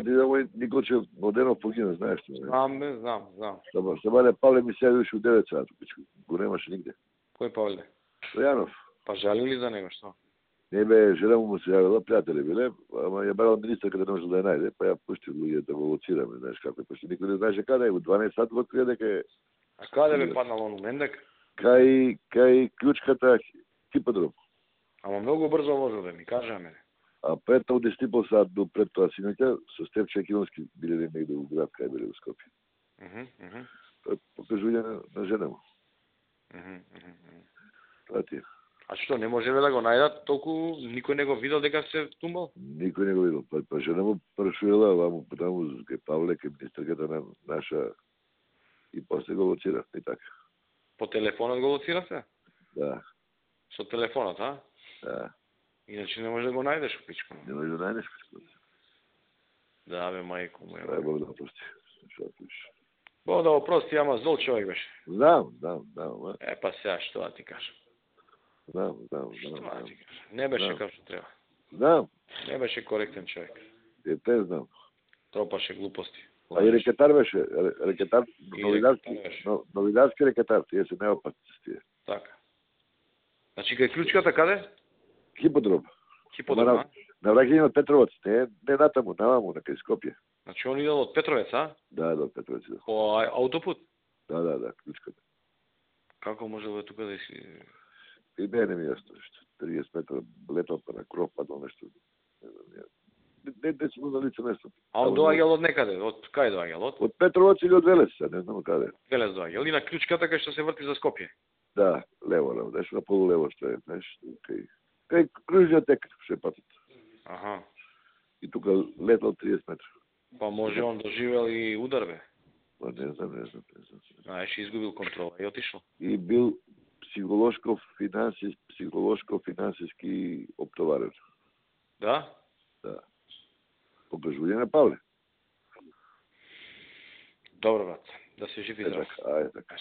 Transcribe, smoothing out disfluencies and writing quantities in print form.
ти да мој Николчев Младенов погина, знаеш што? Знам. Сабаде Павле ми се јавиш у 9 сати, го немаше нигде. Кој Павле? Стојанов. Па жалили за него, што? Не бе, жена му се јавила, пријатели биле, ама ја барала министерка да не може да ја најде, па ја пушти луѓе да го лоцираме, знаеш како е, пошто никој не знаеше каде е, у 12 сати го открија дека е. А каде бе паднал он, Мендек? Кај клучката хиподром. Ама многу брзо возил, бе, ми кажа мене. А пред тоа 10,5 сат до пред тоа синоќа со Степче Екилонски биле негде у град, кај биле у Скопје. Тоа е покажување на жена му. Тоа ти е. А што, не можеле да го најдат, толку никој не го видел дека се тумбал? Никој не го видел. Па жена му прашувала, ваму таму кај Павле, кај министерката на наша и после го лоцира, и така. По телефонот го лоцира се? Да. Со телефонот, а? Да. Иначе не може да го најдеш у пичко. Не може да најдеш пичко. Да, бе, мајко му. Да, Бог да прости. Што пиш? Бог да го прости, ама зол човек беше. Знам. Па сега, што да ти кажам? Знам. Што да ти кажам? Не беше како што треба. Знам. Не беше коректен човек. Те знам. Тропаше глупости. А и рекетар беше, рекетар, новидарски рекетар, тие се неопасни тие. Така. Значи кај клучката каде? Хиподром. Хиподром, а? На враќање од Петровец, не натаму, наваму, на кај Скопје. Значи он идел од Петровец, а? Да, од Петровец. По аутопут? Да, клучката. Како може да тука да си... И не ми јасно нешто. 30 метра летал па на кров падал нешто. Не сум на лице место. А он доаѓал од некаде? Од кај доаѓал? Од Петровец или од Велес, не знам каде. Велес доаѓал и на клучката кај што се врти за Скопје. Да, лево, нешто на полулево што е, знаеш, кај кружниот тек ше патот. Аха. И тука летал 30 метра. Па може он доживел и удар, бе? Па не знам. Знаеш, изгубил контрола и отишол. И бил психолошко-финансиски оптоварен. Да? Да. Покажување на Павле. Добро, брат. Да се живи. Ајде така.